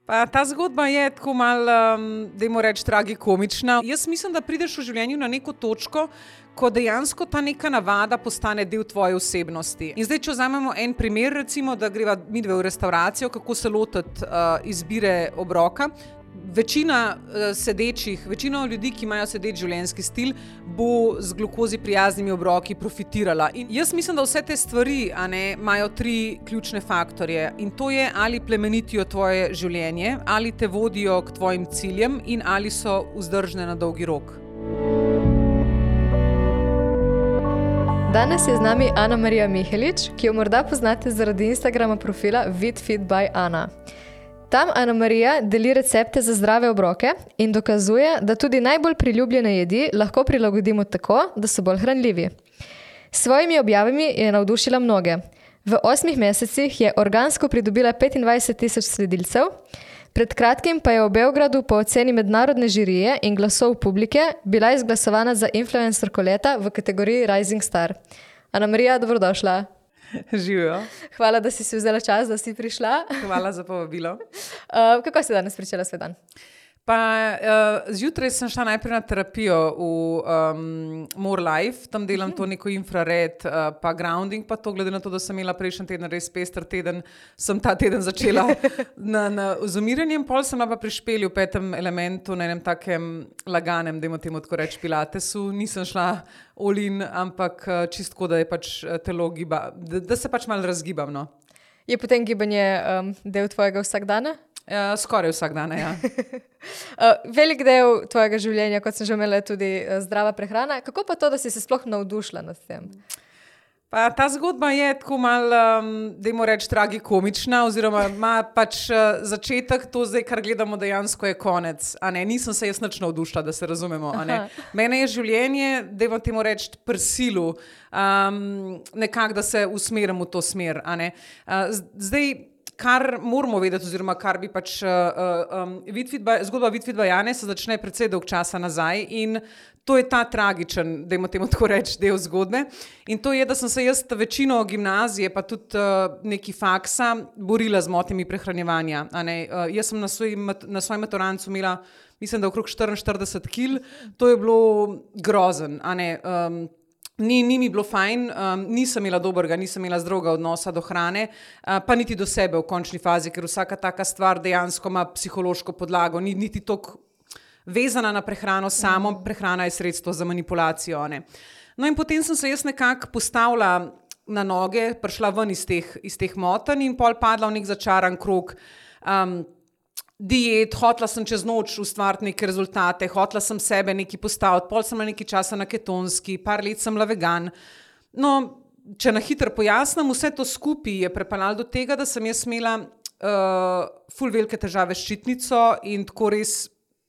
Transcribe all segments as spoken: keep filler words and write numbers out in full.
Pa ta zgodba je tako malo, um, dajmo reči, tragikomična. Jaz mislim, da prideš v življenju na neko točko, ko dejansko ta neka navada postane del tvoje osebnosti. In zdaj, če vzamemo en primer, recimo, da greva midve v restauracijo, kako se lotiti uh, izbire obroka. Večina uh, sedečih, večina ljudi, ki imajo sedeč življenjski stil, bo z glukozi prijaznimi obroki profitirala. In jaz mislim, da vse te stvari a ne, imajo tri ključne faktorje. In to je, ali plemenitijo tvoje življenje, ali te vodijo k tvojim ciljem in ali so vzdržne na dolgi rok. Danes je z nami Ana Marija Mihelič, ki jo morda poznate zaradi Instagrama profila VitFit by Ana. Tam Ana Marija deli recepte za zdrave obroke in dokazuje, da tudi najbolj priljubljene jedi lahko prilagodimo tako, da so bolj hranljivi. S svojimi objavami je navdušila mnoge. V osmih mesecih je organsko pridobila petindvajset tisoč sledilcev, pred kratkim pa je v Beogradu po oceni mednarodne žirije in glasov publike bila izglasovana za influencerko leta v kategoriji Rising Star. Ana Marija, dobrodošla. Živijo. Hvala, da si si vzela čas, da si prišla. Hvala za povabilo. Uh, kako si danes pričela svoj dan? Pa uh, zjutraj sem šla najprej na terapijo v um, More Life, tam delam to neko infrared, uh, pa grounding, pa to glede na to, da sem imela prejšnji teden res pester teden, sem ta teden začela na, na, z umiranjem, pol sem pa pri špelju v petem elementu, na enem takem laganem, dajmo temu tako reči, pilatesu, nisem šla all in, ampak uh, čistko, da je pač telo giba, da, da se pač malo razgibam, no. Je potem gibanje um, del tvojega vsakdana? Ja, skoraj vsak dan, ja. uh, velik del tvojega življenja, kot sem že imela, tudi uh, zdrava prehrana. Kako pa to, da si se sploh navdušila nad tem? Pa ta zgodba je tako malo, um, dajmo reči, tragikomična, oziroma ima pač uh, začetek, to zdaj, kar gledamo, dejansko je konec. A ne, nisem se jaz nič navdušila, da se razumemo. A ne. Mene je življenje, dajmo temu reči, prsilu, um, nekako, da se usmerim v to smer. A ne. Uh, zdaj, kar moramo vedeti, oziroma kar bi pač uh, um, VitFit, zgodba VitFit by Ane se začne precej dolg časa nazaj in to je ta tragičen, dajmo temu tako reči, del zgodbe. In to je, da sem se jaz večino gimnazije, pa tudi uh, neki faksa, borila z motnjami prehranjevanja. A ne? Uh, jaz sem na, svoj, na svojem maturancu imela, mislim, da okrog štiriinštirideset kil, to je bilo grozen. A ne? Um, Ni, ni mi bilo fajn, um, nisem imela dobrega, nisem imela zdravega odnosa do hrane, uh, pa niti do sebe v končni fazi, ker vsaka taka stvar dejansko ima psihološko podlago, ni niti toliko vezana na prehrano, samo prehrana je sredstvo za manipulacijo. Ne. No in potem sem se jaz nekako postavila na noge, prišla ven iz teh, iz teh motenj in pol padla v nek začaran krog. Um, diet, hotla sem čez noč ustvariti neke rezultate, hotla sem sebe nekaj postaviti, pol sem imela nekaj časa na ketonski, par let sem bila vegan. No, če na hitro pojasnim, vse to skupaj je prepeljalo do tega, da sem jaz imela uh, ful velike težave s ščitnico in tako res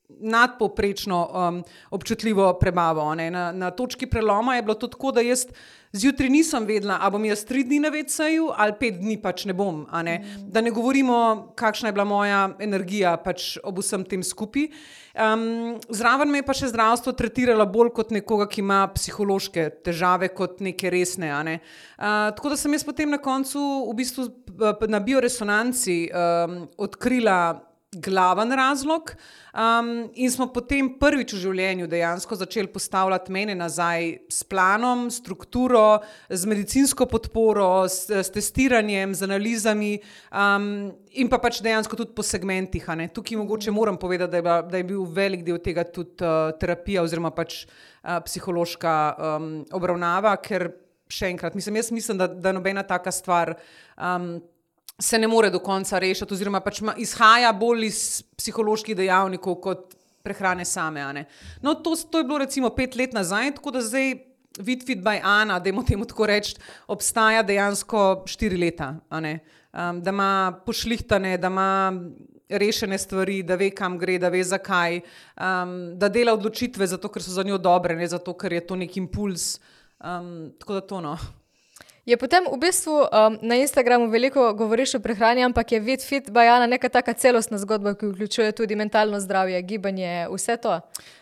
nadpovprečno um, občutljivo prebavo. Ne. Na, na točki preloma je bilo to tako, da jaz zjutraj nisem vedela, a bom jaz tri dni na veceju ali pet dni pač ne bom. A ne. Mm. Da ne govorimo, kakšna je bila moja energija pač ob vsem tem skupaj. Um, zraven me je pa še zdravstvo tretiralo bolj kot nekoga, ki ima psihološke težave, kot neke resne. A ne. Uh, tako da sem jaz potem na koncu v bistvu na bioresonanci um, odkrila glaven razlog um, in smo potem prvič v življenju dejansko začeli postavljati mene nazaj s planom, strukturo, z medicinsko podporo, s, s testiranjem, z analizami um, in pa pač dejansko tudi po segmentih. A ne. Tukaj mogoče moram povedati, da je, bila, da je bil velik del tega tudi uh, terapija oziroma pač uh, psihološka um, obravnava, ker še enkrat, mislim, jaz mislim, da, da nobena taka stvar um, se ne more do konca rešiti, oziroma pač izhaja bolj iz psiholoških dejavnikov kot prehrane same. A ne. No, to, to je bilo recimo pet let nazaj, tako da zdaj VitFit by Ana, dajmo temu tako reči, obstaja dejansko štiri leta. A ne. Um, da ima pošlihtane, da ima rešene stvari, da ve, kam gre, da ve, zakaj, um, da dela odločitve zato, ker so za njo dobre, ne zato, ker je to nek impuls. Um, tako da to, no. Je potem v bistvu um, na Instagramu veliko govoriš o prehrani, ampak je VitFit by Ana neka taka celostna zgodba, ki vključuje tudi mentalno zdravje, gibanje, vse to?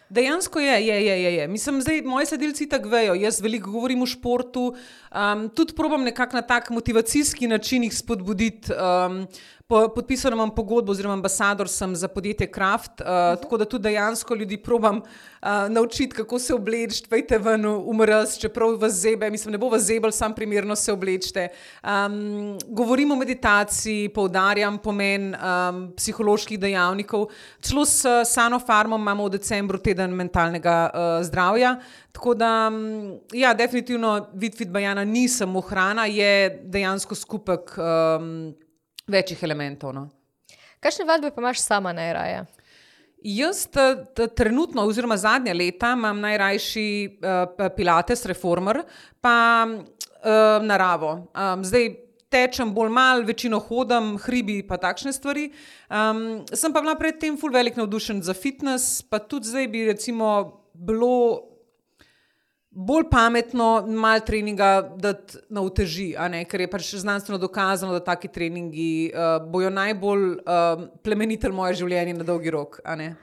Dejansko je, je, je, je, je. Mislim, zdaj moji sledilci tako vejo, jaz veliko govorim o športu, um, tudi probam nekako na tak motivacijski način jih spodbuditi. Um, po, podpisano imam pogodbo oziroma ambasador sem za podjetje Kraft, uh, uh-huh. tako da tudi dejansko ljudi probam uh, naučiti, kako se obleči, pejte ven v mraz, čeprav vas zebe, mislim, ne bo vas zebel, sam primerno se oblečite. Um, govorim o meditaciji, poudarjam pomen um, psiholoških dejavnikov, celo s Sano Farmom imamo v decembru teden mentalnega uh, zdravja, tako da, ja, definitivno VitFit by Ana ni samo hrana, je dejansko skupek um, večjih elementov. No. Kakšne vadbe pa imaš sama najraje? Jaz t, t, trenutno, oziroma zadnja leta, imam najrajši uh, pilates, reformer, pa uh, naravo. Um, zdaj tečem bolj mal, večino hodam, hribi pa takšne stvari. Um, sem pa bila predtem ful velik navdušen za fitness, pa tudi zdaj bi recimo bilo bolj pametno malo treninga dati na uteži, a ne, ker je pač znanstveno dokazano, da taki treningi uh, bojo najbolj uh, plemenitelj moje življenje na dolgi rok, a ne.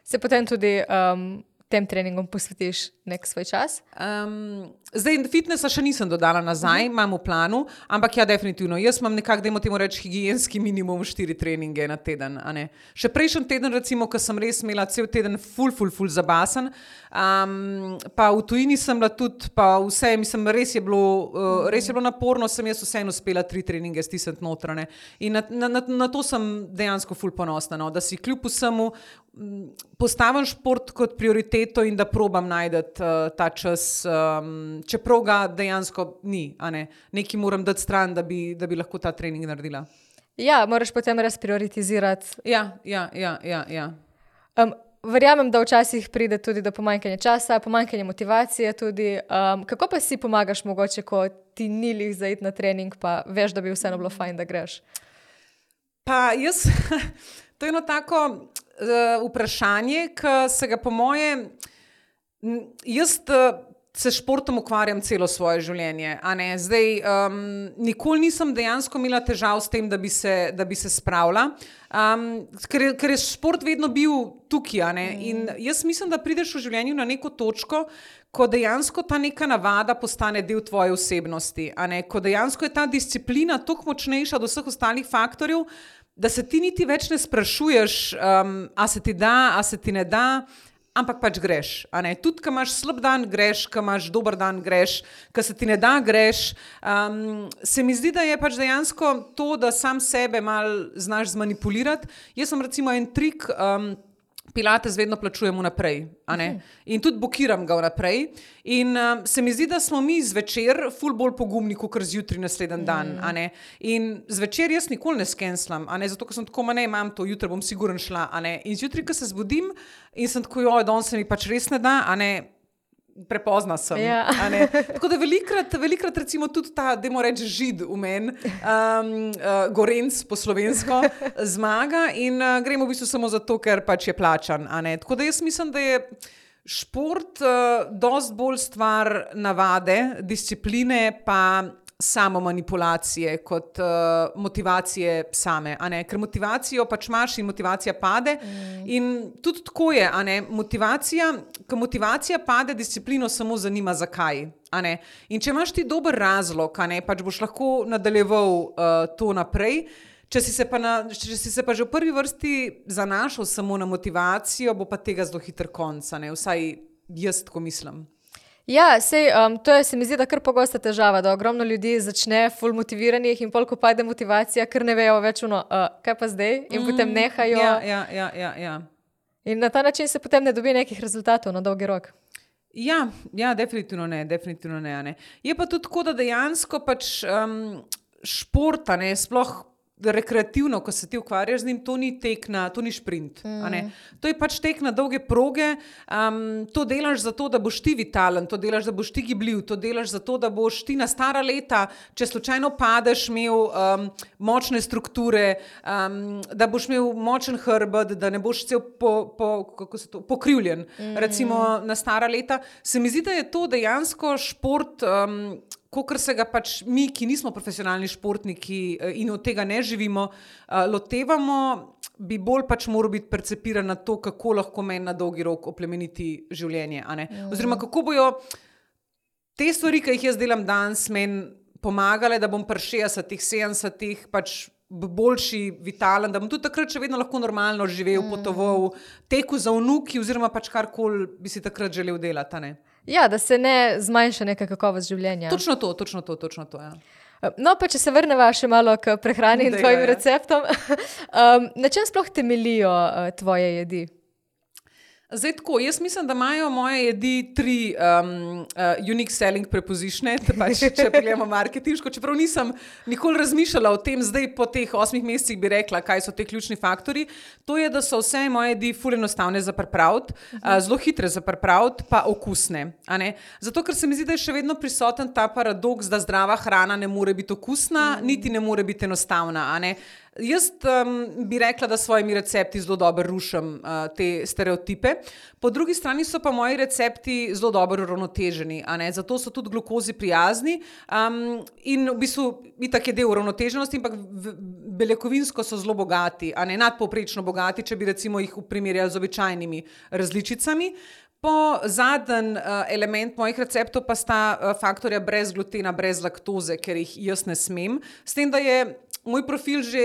Se potem tudi um, tem treningom posvetiš nek svoj čas? Um, zdaj, fitnessa še nisem dodala nazaj, uh-huh. imam v planu, ampak ja, definitivno. Jaz imam nekako, dajmo temu reči, higienski minimum štiri treninge na teden, a ne. Še prejšnji teden, recimo, ko sem res imela cel teden ful, ful, ful zabasen, um, pa v tujini sem bila tudi, pa vse, mislim, res je bilo, uh, res je bilo naporno, sem jaz vseeno uspela tri treninge stisniti notrane. In na, na, na, na to sem dejansko ful ponosna, no, da si kljub vsemu postavim šport kot prioriteto in da probam najdeti uh, ta čas, um, čeprav ga dejansko ni, a ne. Nekaj moram dati stran, da bi, da bi lahko ta trening naredila. Ja, moraš potem res prioritizirati. Ja, ja, ja, ja, ja. Um, verjamem, da včasih pride tudi do pomanjkanja časa, pomanjkanja motivacije tudi. Um, kako pa si pomagaš mogoče, ko ti ni lih za iti na trening, pa veš, da bi vseeno bilo fajn, da greš? Pa jaz, to je eno tako uh, vprašanje, ki se ga po moje, jaz uh, se športom ukvarjam celo svoje življenje, a ne, zdaj um, nikoli nisem dejansko imela težav s tem, da bi se, da bi se spravila, um, ker, je, ker je šport vedno bil tukaj, a ne, in jaz mislim, da prideš v življenju na neko točko, ko dejansko ta neka navada postane del tvoje osebnosti, a ne, ko dejansko je ta disciplina toliko močnejša od vseh ostalih faktorjev, da se ti niti več ne sprašuješ, um, a se ti da, a se ti ne da, ampak pač greš, a ne, tudi, ko imaš slab dan, greš, ko imaš dober dan, greš, ko se ti ne da, greš, um, se mi zdi, da je pač dejansko to, da sam sebe malo znaš zmanipulirati. Jaz sem recimo en trik, um, pilates vedno plačujem vnaprej, a ne, in tudi blokiram ga vnaprej in um, se mi zdi, da smo mi zvečer ful bolj pogumni, kakor zjutri naslednji dan, a ne, in zvečer jaz nikoli ne skenslam, a ne, zato, ker sem tako, ma ne, imam to, jutri bom sigurno šla, a ne, in zjutri, ko se zbudim in sem tako, joj, danes se mi pač res ne da, a ne, prepozna sem. Ja. A ne? Tako da velikrat, velikrat recimo tudi ta, dajmo reči, žid v meni, um, uh, gorenc po slovensko, zmaga in uh, gremo v bistvu samo zato, ker pač je plačan. A ne? Tako da jaz mislim, da je šport uh, dost bolj stvar navade, discipline pa samo manipulacije kot uh, motivacije same, a ne, ker motivacijo pač imaš in motivacija pade mm. in tudi tako je, a ne, motivacija, ko motivacija pade, disciplino samo zanima zakaj, a ne, in če imaš ti dober razlog, a ne, pač boš lahko nadaljeval uh, to naprej, če si, se pa na, če si se pa že v prvi vrsti zanašal samo na motivacijo, bo pa tega zelo hiter konc, a ne, vsaj jaz tako mislim. Ja, sej, um, to je, se mi zdi, da kar pogosta težava, da ogromno ljudi začne ful motiviranih in pol, ko pade motivacija, ker ne vejo več ono, uh, kaj pa zdaj, in mm, potem nehajo. Ja, ja, ja, ja, ja. In na ta način se potem ne dobi nekih rezultatov na dolgi rok. Ja, ja, definitivno ne, definitivno ne, ne. Je pa tudi tako, da dejansko pač um, športa, ne, sploh rekreativno, ko se ti ukvarjaš z njim, to ni tek na, to ni šprint, mm. a ne. To je pač tek na dolge proge, um, to delaš zato, da boš ti vitalen, to delaš, da boš ti gibljiv, to delaš zato, da boš ti na stara leta, če slučajno padeš, imel um, močne strukture, um, da boš imel močen hrbet, da ne boš cel po, po, kako se to, pokrivljen, mm. recimo na stara leta. Se mi zdi, da je to dejansko šport, um, Kakor se ga pač mi, ki nismo profesionalni športniki in od tega ne živimo, lotevamo, bi bolj pač moral biti percepiran na to, kako lahko meni na dolgi rok oplemeniti življenje. A ne? Oziroma, kako bojo te stvari, ki jih jaz delam danes, meni pomagale, da bom pri šestdesetih, sedemdesetih pač boljši, vitalen, da bom tudi takrat še vedno lahko normalno živel, potoval, tekel za vnuki oziroma pač karkoli bi si takrat želel delati. A ne? Ja, da se ne zmanjša neka kakovost življenja. Točno to, točno to, točno to, ja. No, pa če se vrneva še malo k prehrani in Dejva, tvojim ja. receptom, um, na čem sploh temeljijo uh, tvoje jedi? Zdaj tako, jaz mislim, da imajo moje jedi tri um, uh, unique selling prepositione, pač, če pogledamo marketinško, čeprav nisem nikoli razmišljala o tem, zdaj po teh osmih mesecih bi rekla, kaj so te ključni faktori. To je, da so vse moje jedi ful enostavne za pripraviti, uh-huh. uh, zelo hitre za pripraviti, pa okusne. A ne? Zato, ker se mi zdi, da je še vedno prisoten ta paradoks, da zdrava hrana ne more biti okusna, uh-huh. niti ne more biti enostavna. A ne? Jaz um, bi rekla, da s svojimi recepti zelo dobro rušim uh, te stereotipe. Po drugi strani so pa moji recepti zelo dobro uravnoteženi, a ne? Zato so tudi glukozi prijazni um, in v bistvu itak je del uravnoteženosti, ampak beljakovinsko so zelo bogati, a ne? Nadpovprečno bogati, če bi recimo jih primerjali z običajnimi različicami. Po zadnji uh, element mojih receptov pa sta uh, faktorja brez glutena, brez laktoze, ker jih jaz ne smem. S tem, da je moj profil že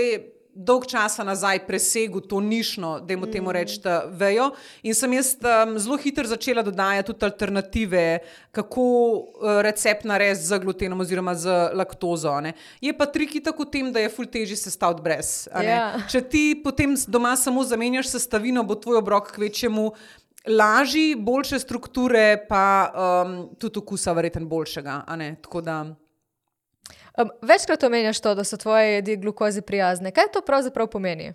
dolg časa nazaj presegel to nišno, dajmo temu reči, vejo. In sem jaz um, zelo hitro začela dodajati tudi alternative, kako uh, recept narediti z glutenom oziroma z laktozo. Ne. Je pa trik tako v tem, da je ful težji sestaviti brez. Ja. Če ti potem doma samo zamenjaš sestavino, bo tvoj obrok kvečjemu lažji, boljše strukture, pa um, tudi okusa verjetno boljšega. A ne. Tako da... Um, večkrat omenjaš to, da so tvoje jedi glukozi prijazne. Kaj to pravzaprav pomeni?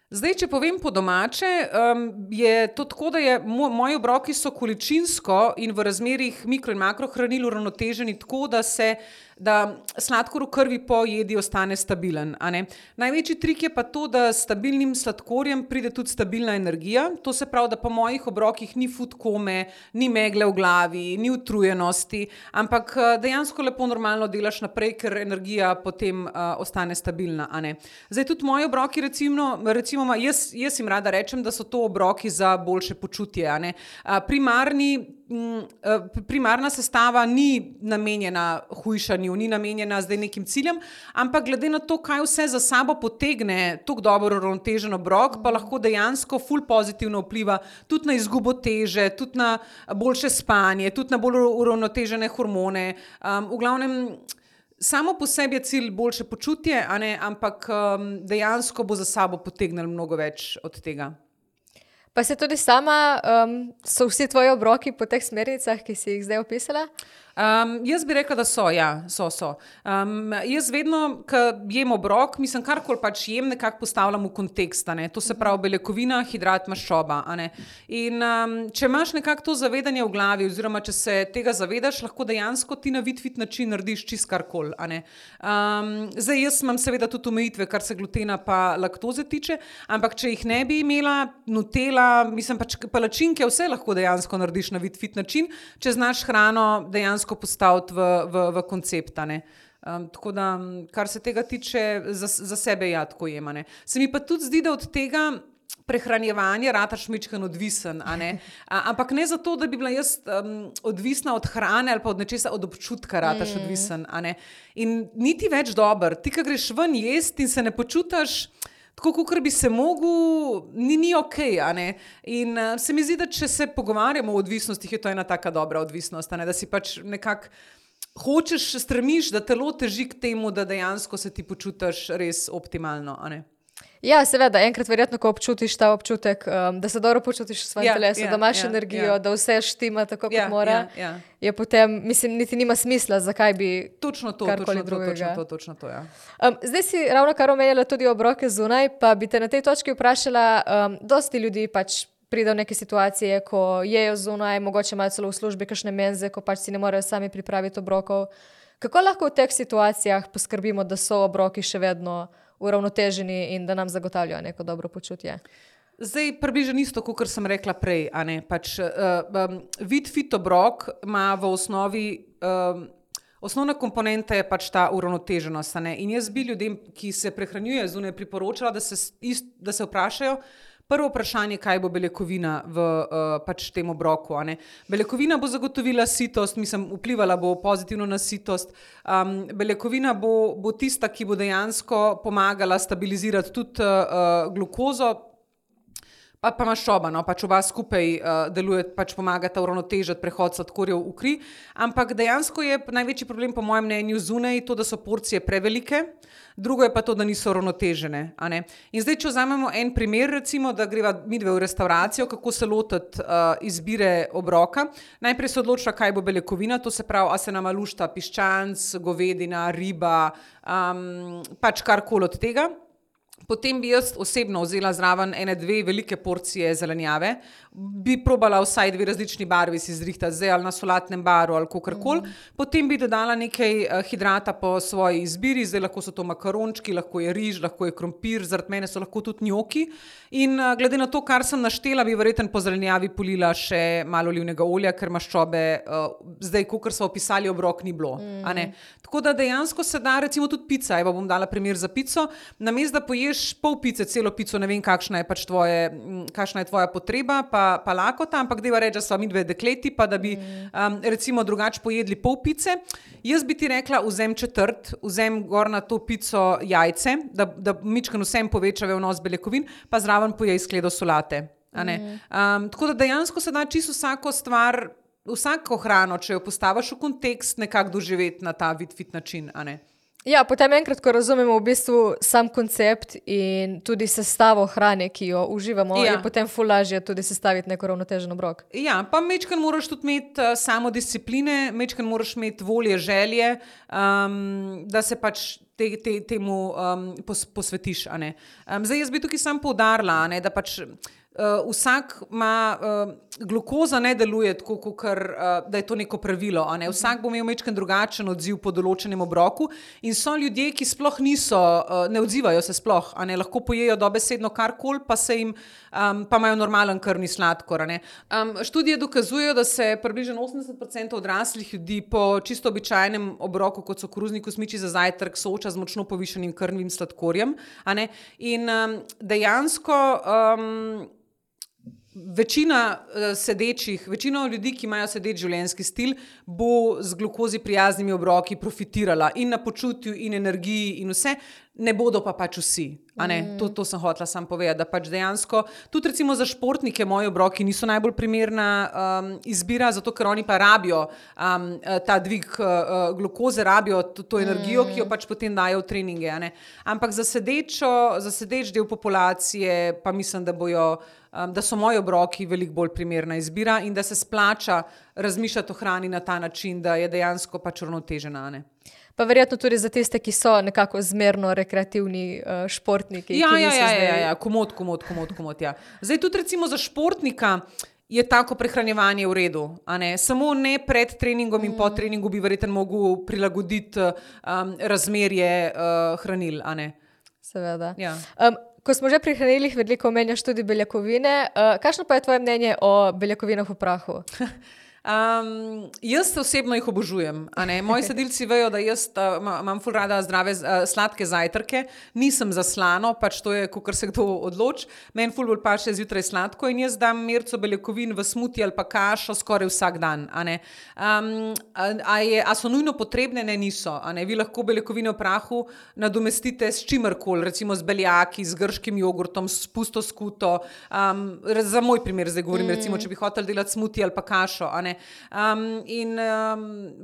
Zdaj, če povem po domače, um, je to tako, da je mo moji obroki so količinsko in v razmerih mikro- in makrohranil uravnoteženi tako, da se da sladkor v krvi po jedi ostane stabilen. A ne? Največji trik je pa to, da s stabilnim sladkorjem pride tudi stabilna energija. To se pravi, da po mojih obrokih ni food kome, ni megle v glavi, ni utrujenosti, ampak dejansko lepo normalno delaš naprej, ker energija potem uh, ostane stabilna. A ne? Zdaj tudi moji obroki, recimo, recimo jaz, jaz jim rada rečem, da so to obroki za boljše počutje. A ne? Uh, primarni primarna sestava ni namenjena hujšanju, ni namenjena zdaj nekim ciljem, ampak glede na to, kaj vse za sabo potegne tako dobro uravnotežen obrok, pa lahko dejansko ful pozitivno vpliva tudi na izgubo teže, tudi na boljše spanje, tudi na bolj uravnotežene hormone. Um, v glavnem, samo po sebi je cilj boljše počutje, a ne, ampak um, dejansko bo za sabo potegnilo mnogo več od tega. Pa se tudi sama, um, so vsi tvoji obroki po teh smernicah, ki si jih zdaj opisala? Um, jaz bi rekla, da so, ja, so, so. Um, jaz vedno, ko jem obrok, mislim, karkoli pač jem, nekako postavljam v kontekst, a ne. To se pravi beljakovina, hidrat, maščoba, a ne. In um, če imaš nekako to zavedanje v glavi, oziroma če se tega zavedaš, lahko dejansko ti na fit-fit način narediš čist karkoli, a ne. Um, zdaj, jaz imam seveda tudi omejitve, kar se glutena pa laktoze tiče, ampak če jih ne bi imela, nutella, mislim pač palačinke, vse lahko dejansko narediš na fit-fit način, če znaš hrano dejansko postaviti v, v, v koncept. Um, tako da, kar se tega tiče, za, za sebe ja tako jem. Se mi pa tudi zdi, da od tega prehranjevanja rataš mičken odvisen, a ne? A, ampak ne zato, da bi bila jaz um, odvisna od hrane ali pa od nečesa, od občutka rataš mm. odvisen, a ne? In niti več dober. Ti, ko greš ven jest in se ne počutaš tako, kakor bi se mogel, ni, ni okej, a ne. In uh, se mi zdi, da če se pogovarjamo o odvisnostih, je to ena taka dobra odvisnost, a ne, da si pač nekako hočeš, stremiš, da telo teži k temu, da dejansko se ti počutiš res optimalno, a ne. Ja, seveda, enkrat verjetno, ko občutiš ta občutek, um, da se dobro počutiš v svojem ja, telesu, ja, da imaš ja, energijo, ja. da vse štima tako, kot ja, mora, ja, ja. je potem, mislim, niti nima smisla, zakaj bi točno to, karkoli točno drugega. To, točno to, točno to, ja. Um, zdaj si ravno kar omenjala tudi obroke zunaj, pa bi te na tej točki vprašala, um, dosti ljudi pač pride v neke situacije, ko jejo zunaj, mogoče imajo celo v službi kakšne menze, ko pač si ne morejo sami pripraviti obrokov. Kako lahko v teh situacijah poskrbimo, da so obroki še vedno uravnoteženi in da nam zagotavljajo neko dobro počutje? Zdaj, približno isto, kot sem rekla prej, a ne, pač uh, um, vid fit obrok ima v osnovi um, osnovna komponenta je pač ta uravnoteženost. A ne? In jaz bi ljudem, ki se prehranjujejo zunaj, priporočala, da se, ist, da se vprašajo, prvo vprašanje, kaj bo beljakovina v uh, pač tem obroku. A ne? Beljakovina bo zagotovila sitost, mislim, vplivala bo pozitivno na sitost. Um, beljakovina bo, bo tista, ki bo dejansko pomagala stabilizirati tudi uh, glukozo, pa, pa maščoba, no, pač oba skupaj uh, deluje, pač pomagata uravnotežiti prehod sladkorjev v kri, ampak dejansko je največji problem po mojem mnenju zunaj to, da so porcije prevelike, drugo je pa to, da niso uravnotežene. A ne? In zdaj, če vzamemo en primer, recimo, da greva midve v restauracijo, kako se lotiti uh, izbire obroka, najprej se odločila, kaj bo beljakovina, to se pravi, a se nama lušta piščanc, govedina, riba, um, pač karkoli od tega. Potem bi jaz osebno vzela zraven ene dve velike porcije zelenjave, bi probala vsaj dve različni barvi si zrihtati, zdaj ali na solatnem baru ali kakorkoli. Mm. Potem bi dodala nekaj uh, hidrata po svoji izbiri, zdaj lahko so to makarončki, lahko je riž, lahko je krompir, zaradi mene so lahko tudi njoki. In uh, glede na to, kar sem naštela, bi verjetno po zelenjavi polila še malo olivnega olja, ker maščobe uh, zdaj, kakor so opisali, obrok ni bilo. Mm. A ne? Tako da dejansko se da, recimo tudi pica, evo bom dala primer za pico, namesto da poješ pol pice, celo pico, ne vem, kakšna je pač tvoje, kakšna je tvoja potreba, pa, pa lakota, ampak deva reči, da sva midve dekleti, pa da bi um, recimo drugače pojedli pol pice. Jaz bi ti rekla, vzem četrt, vzem gor na to pico jajce, da, da mičken vsem poveča vnos beljakovin, pa zraven pojej skledo solate. A ne? Um, tako da dejansko se da čisto vsako stvar, vsako hrano, če jo postaviš v kontekst, nekako doživeti na ta fit način, a ne? Ja, potem enkrat, ko razumemo v bistvu sam koncept in tudi sestavo hrane, ki jo uživamo, ja. Je potem ful lažje tudi sestaviti neko ravnotežen obrok. Ja, pa mečkan moraš tudi imeti uh, samo discipline, mečkan moraš imeti volje, želje, um, da se pač te, te, temu um, pos, posvetiš. A ne? Um, zdaj jaz bi tukaj sam poudarila, a ne, da pač Uh, vsak ima, uh, glukoza ne deluje tako, kakor, uh, da je to neko pravilo. A ne? Vsak bo imel majčken drugačen odziv po določenem obroku in so ljudje, ki sploh niso, uh, ne odzivajo se sploh, a ne? Lahko pojejo dobesedno karkoli, pa se jim, um, pa imajo normalen krvni sladkor. A ne? Um, študije dokazujejo, da se približno osemdeset procentov odraslih ljudi po čisto običajnem obroku, kot so koruzni kosmiči za zajtrk, sooča z močno povišanim krvnim sladkorjem. A ne? In um, dejansko um, Večina uh, sedečih, večina ljudi, ki imajo sedeč življenjski stil, bo z glukozi prijaznimi obroki profitirala in na počutju in energiji in vse, ne bodo pa pač vsi. A ne? Mm. To, to sem hotela sam povedati, da pač dejansko, tudi recimo za športnike moji obroki niso najbolj primerna um, izbira, zato ker oni pa rabijo um, ta dvig uh, glukoze, rabijo to, to energijo, mm. ki jo pač potem dajo v treninge. A ne? Ampak za sedečo, za sedeč del populacije pa mislim, da bojo Um, da so moji obroki veliko bolj primerna izbira in da se splača razmišljati o hrani na ta način, da je dejansko pač uravnotežena. Pa verjetno tudi za tiste, ki so nekako zmerno rekreativni uh, športniki. Ja, ki ja, ja, zdaj... ja, ja, komod, komod, komod, komod, ja. Zdaj tudi recimo za športnika je tako prehranjevanje v redu, a ne? Samo ne pred treningom in mm. po treningu bi verjetno mogel prilagoditi um, razmerje uh, hranil, a ne? Seveda. Ja. Um, Ko smo že pri hranilih, veliko omenjaš tudi beljakovine. Uh, kakšno pa je tvoje mnenje o beljakovinah v prahu? Um, jaz osebno jih obožujem. A ne? Moji sledilci vejo, da jaz uh, imam ful rada zdrave, uh, sladke zajtrke, nisem za slano, pač to je, kakor se kdo odloči. Meni ful bolj paše zjutraj sladko in jaz dam merco beljakovin v smuti ali pa kašo skoraj vsak dan. A, ne? Um, a, a, je, a so nujno potrebne? Ne, niso. A ne? Vi lahko beljakovine v prahu nadomestite s čimerkoli, recimo z beljaki, z grškim jogurtom, s pusto skuto. Um, za moj primer zdaj govorim, mm. recimo, če bi hotel delati smuti ali pa kašo. A ne? Um, in um,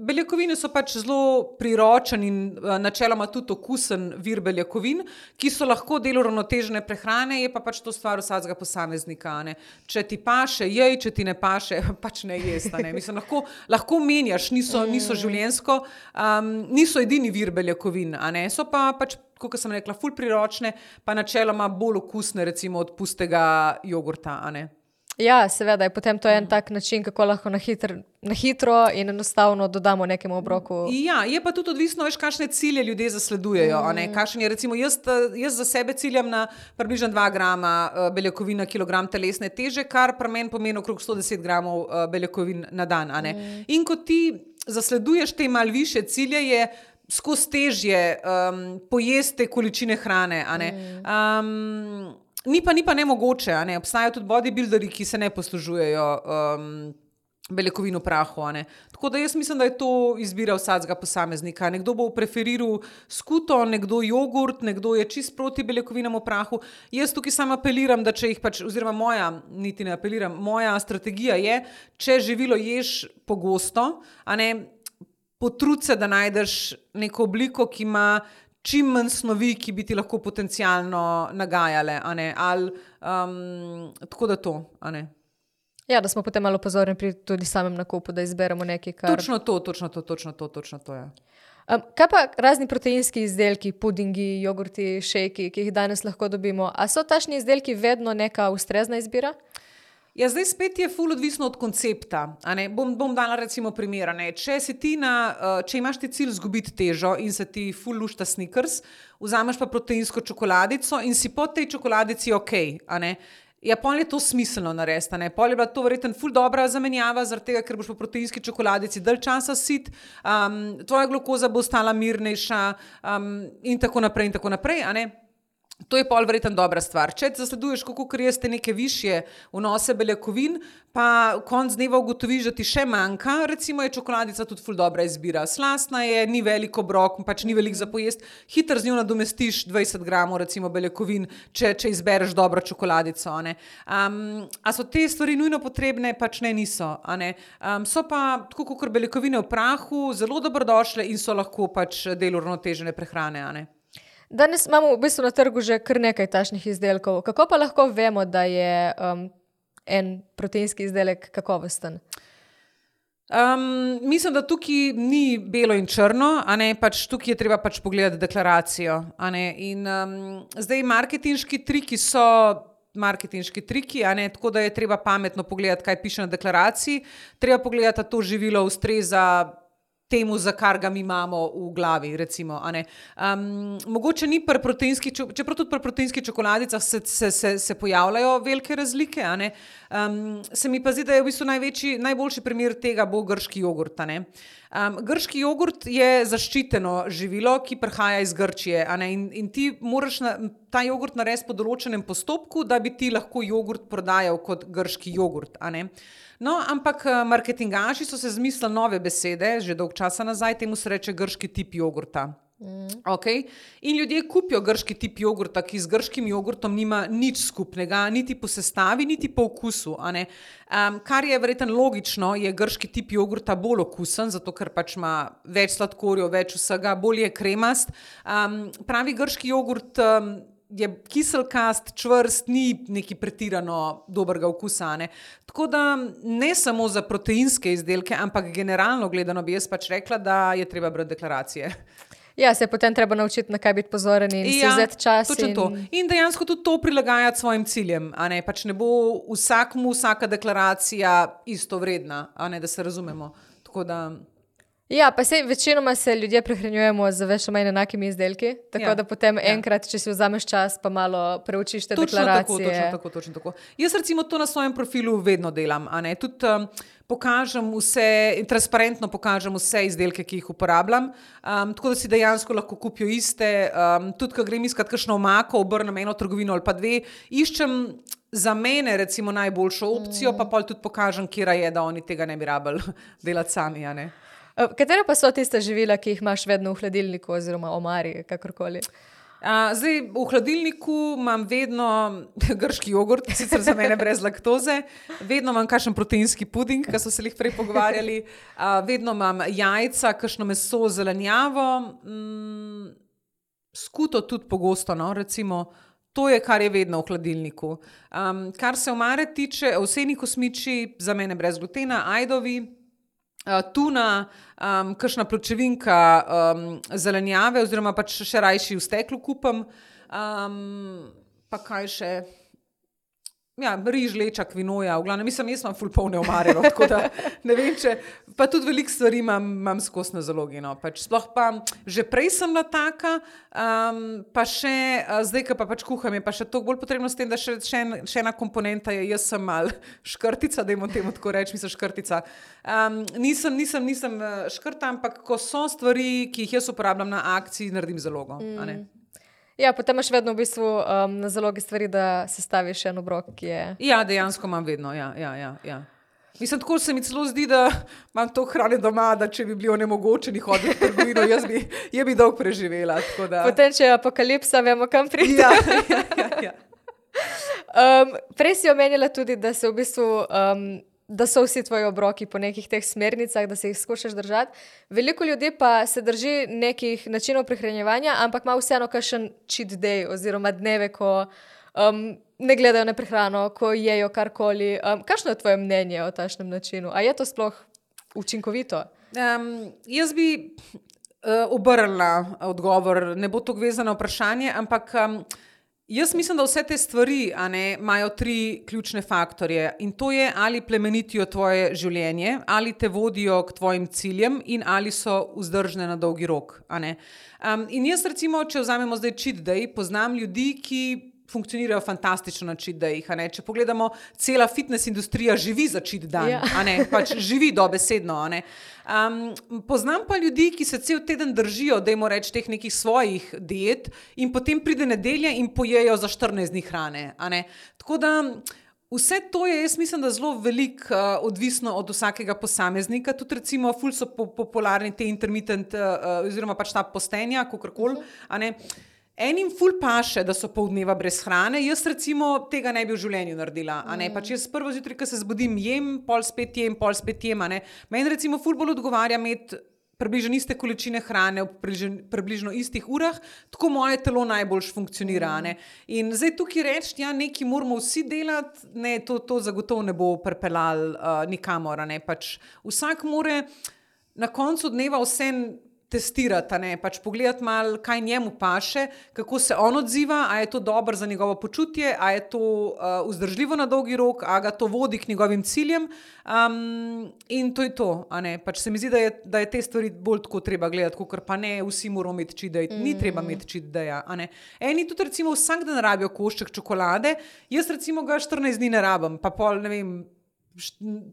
beljakovine so pač zelo priročen in uh, načeloma tudi okusen vir beljakovin, ki so lahko del uravnotežene prehrane, je pa pač to stvar vsakega posameznika. Ne? Če ti paše, jej, če ti ne paše, pač ne jesti. Mislim, lahko, lahko menjaš, niso, niso življenjsko, um, niso edini vir beljakovin, a ne? So pa pač, kot sem rekla, ful priročne, pa načeloma bolj okusne recimo od pustega jogurta, a ne? Ja, seveda, je potem to en tak način, kako lahko na, hitr, na hitro in enostavno dodamo nekemu obroku. Ja, je pa tudi odvisno, veš, kakšne cilje ljudje zasledujejo. Mm. A ne? Kakšen je, recimo, jaz, jaz za sebe ciljam na približno dva grama beljakovin na kilogram telesne teže, kar pri meni pomeni okrog sto deset gramov beljakovin na dan. A ne? Mm. In ko ti zasleduješ te mal više cilje, je skozi težje um, pojesti količine hrane. A ne? Mm. Um, Ni pa, ni pa nemogoče, a ne? Obstajajo tudi bodybuilderi, ki se ne poslužujejo um, beljakovin v prahu. A ne? Tako da jaz mislim, da je to izbira vsakega posameznika. Nekdo bo preferiral skuto, nekdo jogurt, nekdo je čist proti beljakovinam v prahu. Jaz tukaj samo apeliram, da če jih pač, oziroma moja, niti ne apeliram, moja strategija je, če živilo ješ pogosto, a ne, potrud se, da najdeš neko obliko, ki ima čim manj snovi, ki bi ti lahko potencialno nagajale, a ne, ali um, tako da to, a ne. Ja, da smo potem malo pozorni pri tudi samem nakupu, da izberemo nekaj, kar... Točno to, točno to, točno to, točno to, ja. Um, kaj pa razni proteinski izdelki, pudingi, jogurti, šejki, ki jih danes lahko dobimo, a so tašni izdelki vedno neka ustrezna izbira? Ja, zdaj spet je ful odvisno od koncepta. A ne? Bom, bom dala recimo primer. Če, si ti na, če imaš ti cilj zgubiti težo in se ti ful lušta Snickers, vzameš pa proteinsko čokoladico in si po tej čokoladici ok. A ne? Ja, pol je to smiselno narediti. Ne? Pol je bila to verjetno ful dobra zamenjava, zaradi tega, ker boš po proteinski čokoladici dalj časa sit, um, tvoja glukoza bo ostala mirnejša um, in tako naprej in tako naprej. A ne? To je pol verjetno dobra stvar. Če zasleduješ, kako jeste neke višje vnose beljakovin, pa konc dneva ugotoviš, da ti še manjka, recimo je čokoladica tudi ful dobra izbira. Slastna je, ni veliko obrok, pač ni veliko za pojest, hitro z njo nadomestiš dvajset gramov recimo beljakovin, če, če izbereš dobro čokoladico. Ne? Um, a so te stvari nujno potrebne? Pač ne, niso. A ne? Um, so pa, tako kot beljakovine v prahu, zelo dobrodošle in so lahko pač del uravnotežene prehrane. A ne? Danes imamo v bistvu na trgu že kar nekaj tašnih izdelkov. Kako pa lahko vemo, da je um, en proteinski izdelek kakovosten? Um, mislim, da tukaj ni belo in črno, a ne, pač tukaj je treba pač pogledati deklaracijo. A ne? In um, zdaj marketinški triki so marketinški triki, a ne, tako da je treba pametno pogledati, kaj piše na deklaraciji. Treba pogledati, da to živilo ustreza temu, za kar ga mi imamo v glavi, recimo, a ne. Um, mogoče ni pri proteinski, čeprav tudi pri proteinskih čokoladicah se, se, se, se pojavljajo velike razlike, a ne. Um, se mi pa zdi, da je v bistvu največji, najboljši primer tega bo grški jogurt, a ne. Um, grški jogurt je zaščiteno živilo, ki prihaja iz Grčije, a ne, in, in ti moraš na, ta jogurt narediti po določenem postopku, da bi ti lahko jogurt prodajal kot grški jogurt, a ne. No, ampak marketingaši so se zmislili nove besede, že dolg časa nazaj, temu se reče grški tip jogurta. Mm. Okay? In ljudje kupijo grški tip jogurta, ki z grškim jogurtom nima nič skupnega, niti po sestavi, niti po okusu. A ne? Um, kar je verjetno logično, je grški tip jogurta bolj okusen, zato ker pač ima več sladkorjev, več vsega, bolj je kremast. Um, pravi grški jogurt um, je kiselkast, čvrst, ni neki pretirano dobrega okusa. Ne? Tako da ne samo za proteinske izdelke, ampak generalno gledano bi jaz pač rekla, da je treba brati deklaracije. Ja, se je potem treba naučiti, na kaj biti pozoren in ja, si vzeti čas. In... To. In dejansko tudi to prilagajati svojim ciljem. A ne? Pač ne bo vsakmu vsaka deklaracija isto vredna, a ne, da se razumemo. Tako da... Ja, pa sej večinoma se ljudje prehranjujemo z več ali manj enakimi izdelki, tako ja, da potem ja. enkrat, če si vzameš čas, pa malo preučiš te točno deklaracije. Točno tako, točno tako. Jaz recimo to na svojem profilu vedno delam, a ne, tudi um, pokažem vse, transparentno pokažem vse izdelke, ki jih uporabljam, um, tako da si dejansko lahko kupijo iste, um, tudi, ko grem iskat kakšno omako, obrnem eno trgovino ali pa dve, iščem za mene recimo najboljšo opcijo, mm. pa pol tudi pokažem, kjera je, da oni tega ne bi rabili delati sami, a ne. Katera pa so tiste živila, ki jih imaš vedno v hladilniku oziroma omari, kakorkoli? Uh, zdaj, v hladilniku imam vedno grški jogurt, sicer za mene brez laktoze, vedno imam kakšen proteinski puding, ki so se jih prej pogovarjali, uh, vedno imam jajca, kakšno meso, zelenjavo, mm, skuto tudi pogosto, no, recimo. To je, kar je vedno v hladilniku. Um, kar se omare tiče, ovseni kosmiči, za mene brez glutena, ajdovi, Uh, tuna, um, kakšna pločevinka um, zelenjave oziroma pač še rajši v steklu kupam. Um, pa kaj še? Ja, riž, leča, kvinoja, v glavnem, mislim, jaz imam ful polne omare, no, tako da ne vem, če, pa tudi veliko stvari imam, imam skos na zalogi, no, pač sploh pa, že prej sem bila taka, um, pa še, uh, zdaj, ko pa pač kuham, je pa še toliko bolj potrebno s tem, da še, še, en, še ena komponenta je, jaz sem mal škrtica, dajmo temu tako reči, mislim škrtica. Um, nisem, nisem, nisem škrta, ampak ko so stvari, ki jih jaz uporabljam na akciji, naredim zalogo, mm. a ne. Ja, potem imaš vedno v bistvu um, na zalogi stvari, da se staviš en obrok, ki je... Ja, dejansko imam vedno, ja, ja, ja, ja. Mislim, tako se mi celo zdi, da imam to hrane doma, da če bi bili onemogočeni hoditi v trgovino, jaz bi, je bi dolgo preživela, tako da... Potem, če je apokalipsa, vemo, kam priti. Ja, ja, ja, ja. um, prej si omenila tudi, da se v bistvu... Um, da so vsi tvoji obroki po nekih teh smernicah, da se jih skušaš držati. Veliko ljudi pa se drži nekih načinov prehranjevanja, ampak ima vseeno kakšen cheat day oziroma dneve, ko um, ne gledajo na prehrano, ko jejo karkoli. Um, kakšno je tvoje mnenje o takšnem načinu? A je to sploh učinkovito? Um, jaz bi uh, obrnila odgovor, ne bo to vezano vprašanje, ampak... Um, Jaz mislim, da vse te stvari a ne, imajo tri ključne faktorje in to je, ali plemenitijo tvoje življenje, ali te vodijo k tvojim ciljem in ali so vzdržne na dolgi rok. A ne. Um, in jaz recimo, če vzamemo zdaj cheat day, poznam ljudi, ki funkcionirajo fantastično na cheat dayih. Če pogledamo, cela fitness industrija živi za cheat dan, ja. a ne, pač živi dobesedno. A ne. Um, poznam pa ljudi, ki se cel teden držijo, dajmo reči, teh nekih svojih diet in potem pride nedelja in pojejo za štirinajst dni hrane. A ne. Tako da vse to je, jaz mislim, da zelo veliko uh, odvisno od vsakega posameznika. Tudi recimo ful so po, popularni te intermittent uh, oziroma pač ta postenja, kakorkoli, a ne. Enim ful paše, da so pol dneva brez hrane, jaz recimo tega ne bi v življenju naredila. A ne? Pač jaz prvo zjutraj, ko se zbudim, jem, pol spet jem, pol spet jem. A ne? Meni recimo ful bolj odgovarja imeti približno iste količine hrane v približno, približno istih urah, tako moje telo najboljš funkcionira. A ne? In zdaj tukaj reči, ja, nekaj moramo vsi delati, ne, to, to zagotovo ne bo pripeljalo uh, nikamor. A ne? Pač vsak more na koncu dneva vse testirati, ne, pač pogledati malo, kaj njemu paše, kako se on odziva, a je to dobro za njegovo počutje, a je to uh, vzdržljivo na dolgi rok, a ga to vodi k njegovim ciljem um, in to je to, a ne, pač se mi zdi, da je, da je te stvari bolj tako treba gledati, kakor pa ne, vsi moramo imeti cheat day, ni treba imeti cheat daya, a ne. Eni tudi recimo vsak dan rabijo košček čokolade, jaz recimo ga štirinajst dni ne rabim, pa pol, ne vem,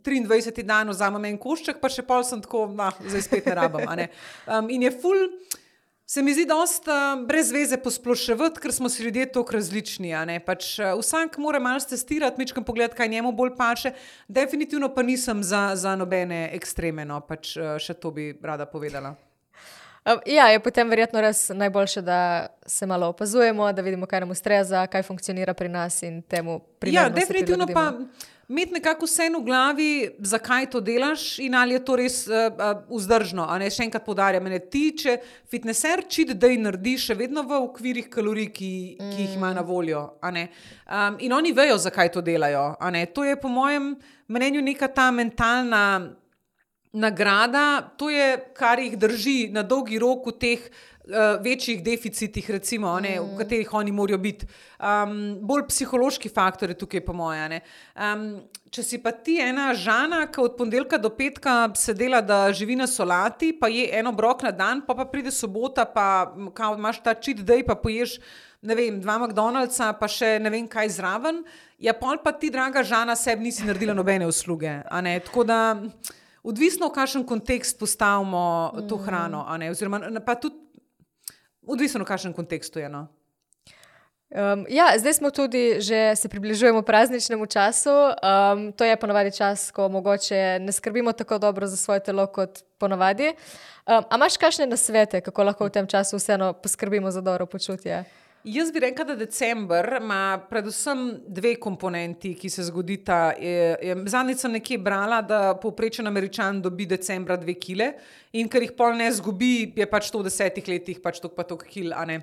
triindvajseti dan vzamem en košček, pa še pol sem tako, nah, zdaj spet ne rabim. A ne? Um, in je ful, se mi zdi dosta brez veze posploševati, ker smo si ljudje toliko različni. A ne? Pač, uh, vsak mora malo testirati, mičkam pogledati, kaj njemu bolj paše. Definitivno pa nisem za, za nobene ekstreme, no? Pač, uh, še to bi rada povedala. Ja, je potem verjetno res najboljše, da se malo opazujemo, da vidimo, kaj nam ustreza, kaj funkcionira pri nas in temu primerno. Ja, definitivno pa imeti nekako vse v glavi, zakaj to delaš in ali je to res uh, uh, vzdržno. A ne, še enkrat poudarjam, ne, ti, če fitnesser cheat day naredi še vedno v okvirih kalorij, ki, mm. ki jih ima na voljo. A ne. Um, in oni vejo, zakaj to delajo. A ne. To je po mojem mnenju neka ta mentalna nagrada, to je, kar jih drži na dolgi rok v teh uh, večjih deficitih, recimo, ne, v katerih oni morajo biti. Um, bolj psihološki faktor je tukaj po moje. Um, če si pa ti ena Žana, ki od ponedeljka do petka se dela, da živi na solati, pa je eno obrok na dan, pa pa pride sobota, pa kao, imaš ta cheat day, pa poješ, ne vem, dva McDonald'sa, pa še ne vem kaj zraven, ja pol pa ti, draga Žana, sebi nisi naredila nobene usluge. A ne? Tako da odvisno, v kakšen kontekst postavimo mm. to hrano, a ne, oziroma pa tudi odvisno, v kakšen kontekstu je, no. Um, ja, zdaj smo tudi, že se približujemo prazničnemu času, um, to je ponavadi čas, ko mogoče ne skrbimo tako dobro za svoje telo kot ponavadi. Um, a imaš kakšne nasvete, kako lahko v tem času vseeno poskrbimo za dobro počutje? Jaz bi rekla, da december ima predvsem dve komponenti, ki se zgodita. Zadnjič sem nekje brala, da povprečen Američan dobi decembra dve kile in ker jih pol ne zgubi, je pač to v desetih letih pač tok pa tok kil, a ne.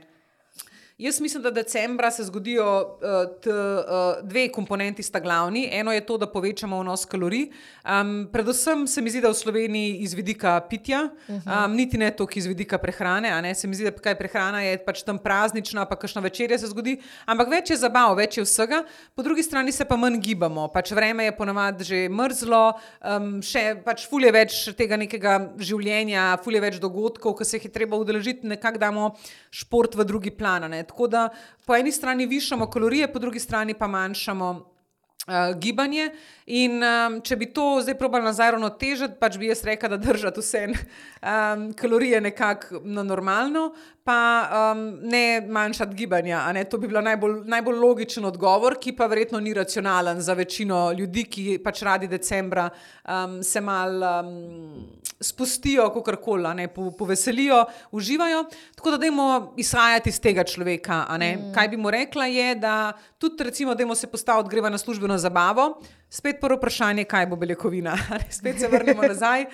Jaz mislim, da decembra se zgodijo uh, t, uh, dve komponenti sta glavni. Eno je to, da povečamo vnos kalorij. Um, predvsem se mi zdi, da v Sloveniji iz vidika pitja, um, niti ne toliko iz vidika prehrane, a ne, se mi zdi, da kaj prehrana je pač tam praznična, pa kakšna večerja se zgodi, ampak več je zabav, več je vsega. Po drugi strani se pa manj gibamo, pač vreme je ponavadi že mrzlo, um, še pač ful je več tega nekega življenja, ful je več dogodkov, ki se jih je treba udeležiti, nekako damo šport v drugi plan. Ne. Tako da po eni strani višamo kalorije, po drugi strani pa manjšamo uh, gibanje in um, če bi to zdaj probali nazaj ravnotežiti, pač bi jaz rekla, da držati vse um, kalorije nekako na normalno, pa um, ne manjšati gibanja. A ne? To bi bila najbolj, najbolj logičen odgovor, ki pa verjetno ni racionalen za večino ljudi, ki pač radi decembra um, se mal um, spustijo, kakorkoli, ne, po, poveselijo, uživajo. Tako da dajmo izhajati iz tega človeka. A ne? Mm. Kaj bi mu rekla je, da tudi recimo dajmo se postaviti, greva na službeno zabavo, spet prvo vprašanje, kaj bo beljakovina. Spet se vrnemo nazaj.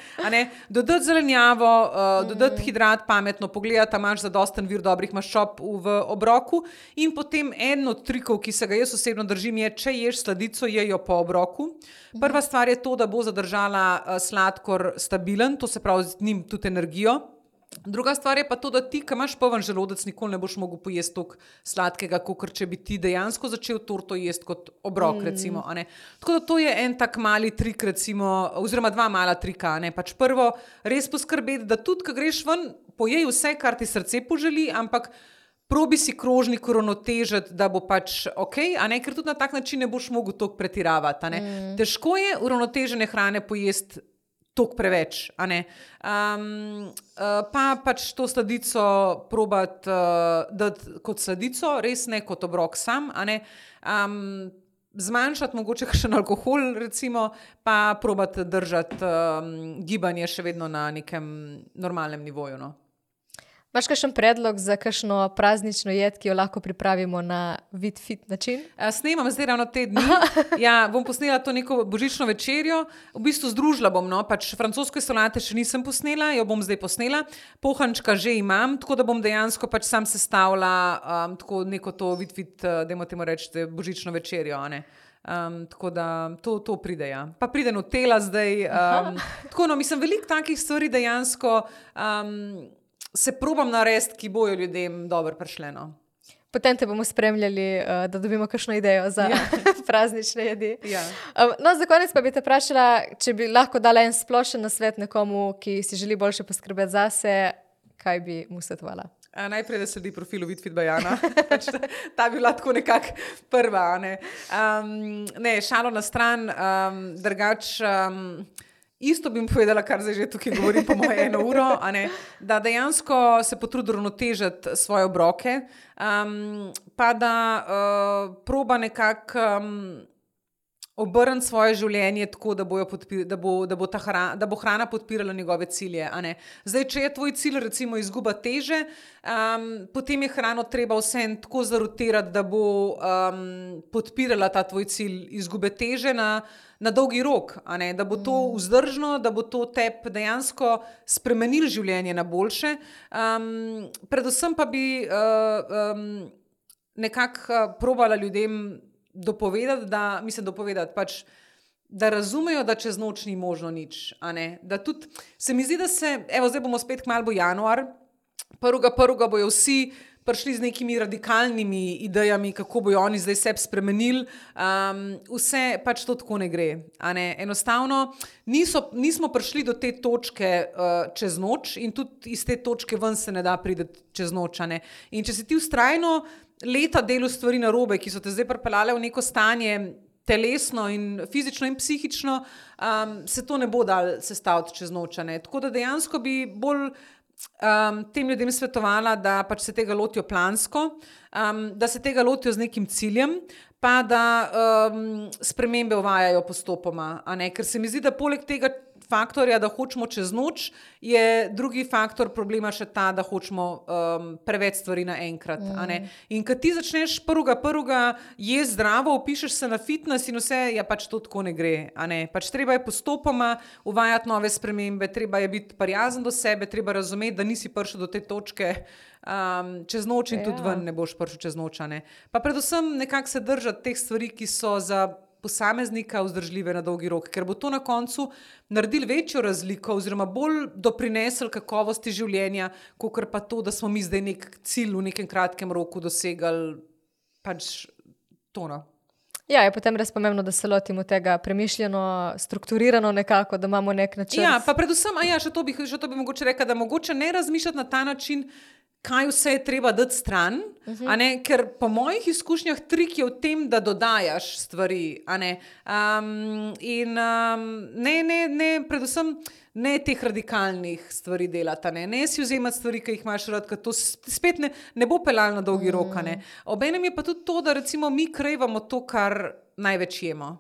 Dodati zelenjavo, uh, dodati hidrat, pametno pogledati, imaš zadosten vir dobrih maščob v obroku in potem en od trikov, ki se ga jaz osebno držim, je, če ješ sladico, jejo po obroku. Prva stvar je to, da bo zadržala uh, sladkor stabilen, to se pravi z njim tudi energijo. Druga stvar je pa to, da ti, ki imaš poln želodec, nikoli ne boš mogel pojesti toliko sladkega, kot če bi ti dejansko začel torto jesti kot obrok, mm. recimo. A ne. Tako da to je en tak mali trik, recimo, oziroma dva mala trika. A ne. Pač prvo, res poskrbeti, da tudi, ko greš ven, pojej vse, kar ti srce poželi, ampak probi si krožnik uravnotežiti, da bo pač ok, a ne, ker tudi na tak način ne boš mogel toliko pretiravati. A ne. Mm. Težko je uravnotežene hrane pojesti toliko preveč, a ne. Um, uh, pa pač to sladico probati uh, dati kot sladico, res ne kot obrok sam, a ne. Um, zmanjšati mogoče še alkohol, recimo, pa probati držati um, gibanje še vedno na nekem normalnem nivoju, no. Imaš kakšen predlog za kakšno praznično jed, ki jo lahko pripravimo na vid fit način? Snemam zdaj ravno te dni. Ja, bom posnela to neko božično večerjo. V bistvu združila bom, no, pač francoske solate še nisem posnela, jo bom zdaj posnela. Pohančka že imam, tako da bom dejansko pač sam sestavila um, tako neko to vid fit, dajmo temu reči, božično večerjo, a ne. Um, tako da to, to pride, ja. Pa pride Nutella zdaj. Um, tako, no, mislim, veliko takih stvari dejansko um, se probam narediti, ki bojo ljudem dobro prišleno. Potem te bomo spremljali, da dobimo kakšno idejo za ja. praznične jedi. Ja. No, za konec pa bi te vprašala, če bi lahko dala en splošen nasvet nekomu, ki si želi boljše poskrbeti zase, kaj bi mu svetovala? A, najprej, da sledi profilu Vid Fit by Ana. Pač ta, ta bi bila tako nekako prva. Ne, um, ne šalo na stran, um, drugač... Um, Isto bi mi povedala, kar zdaj že tukaj govorim po moje eno uro, a ne, da dejansko se potrudi uravnotežiti svoje obroke, um, pa da uh, proba nekako um, obrniti svoje življenje tako, da, podpir, da, bo, da, bo ta hrana, da bo hrana podpirala njegove cilje. A ne. Zdaj, če je tvoj cilj recimo izguba teže, um, potem je hrano treba vsem tako zarotirati, da bo um, podpirala ta tvoj cilj izgube teže na na dolgi rok, a ne, da bo to vzdržno, da bo to tebi dejansko spremenilo življenje na boljše. Um, predvsem pa bi uh, um, nekako probala ljudem dopovedati, da, mislim dopovedati, pač, da razumejo, da čez noč ni možno nič, a ne, da tudi, se mi zdi, da se, evo, zdaj bomo spet kmalu bo januar, prvega prvega bojo vsi prišli z nekimi radikalnimi idejami, kako bojo oni zdaj sebi spremenili. Um, vse pač to tako ne gre. A ne? Enostavno niso, nismo prišli do te točke uh, čez noč in tudi iz te točke ven se ne da priti čez noč. A ne? In če si ti vztrajno leta delu stvari narobe, ki so te zdaj pripeljale v neko stanje telesno in fizično in psihično, um, se to ne bo dal sestaviti čez noč. A ne? Tako da dejansko bi bolj Um, tem ljudem svetovala, da pač se tega lotijo plansko, um, da se tega lotijo z nekim ciljem, pa da um, spremembe uvajajo postopoma. A ne? Ker se mi zdi, da poleg tega faktorja, da hočemo čez noč, je drugi faktor problema še ta, da hočemo um, preveč stvari naenkrat. Mm. In kad ti začneš prvega, prvega jesti zdravo, upišeš se na fitness in vse, ja pač to tako ne gre. Ne? Pač treba je postopoma uvajati nove spremembe, treba je biti prijazen do sebe, treba razumeti, da nisi prišel do te točke um, čez noč in ja. Tudi ven ne boš prišel čez noč. Ne? Pa predvsem nekako se držati teh stvari, ki so za posameznika vzdržljive na dolgi rok, ker bo to na koncu naredili večjo razliko oziroma bolj doprinesel kakovosti življenja, kakor pa to, da smo mi zdaj nek cilj v nekem kratkem roku dosegali pač tono. Ja, je potem res pomembno, da se lotimo tega premišljeno, strukturirano nekako, da imamo nek način. Ja, pa predvsem, a ja, še to bi, še to bi mogoče rekla, da mogoče ne razmišljati na ta način, kaj vse je treba dati stran, uh-huh. a ne, ker po mojih izkušnjah trik je v tem, da dodajaš stvari, a ne, um, in um, ne, ne, ne, predvsem ne teh radikalnih stvari delati, ne, ne si vzemati stvari, ki jih imaš rad, ker to spet ne, ne bo pelalo na dolgi uh-huh. rok, a ne. Obenem je pa tudi to, da recimo mi krejvamo to, kar največ jemo.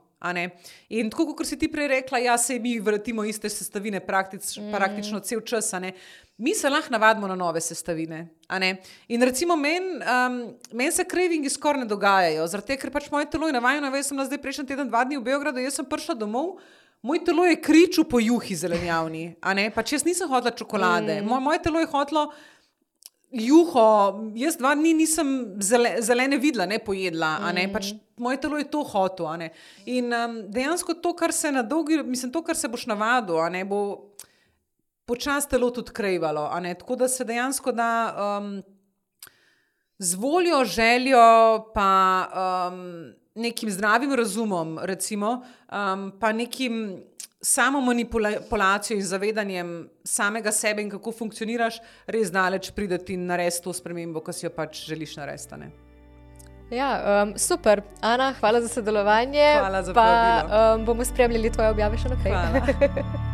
In tako, kot si ti prej rekla, ja, se mi vrtimo iste sestavine praktič, mm. praktično cel čas, a ne. Mi se lahko navadimo na nove sestavine, a ne. In recimo meni um, men se cravingi skoraj ne dogajajo, zaradi tega, ker pač moje telo je navajeno, jaz sem zdaj prejšnji teden dva dni v Beogradu, jaz sem prišla domov, moj telo je kričal po juhi zelenjavni, a ne, pač jaz nisem hotela čokolade, mm. moje, moje telo je hotelo juho, jaz dva dni nisem zele, zelene videla, ne pojedla, a ne, pač moje telo je to hotel, a ne. In um, dejansko to, kar se na dolgi, mislim, to, kar se boš navadil, a ne, bo počas telo tudi krejvalo, a ne, tako da se dejansko da um, z voljo, željo, pa um, nekim zdravim razumom, recimo, um, pa nekim samo manipulacijo in zavedanjem samega sebe in kako funkcioniraš, res daleč prideti in narediti to spremembo, ki si jo pač želiš narediti, ne? Ja, um, super. Ana, hvala za sodelovanje. Hvala za povabilo. Pa um, bomo spremljali tvoje objave še naprej. Hvala.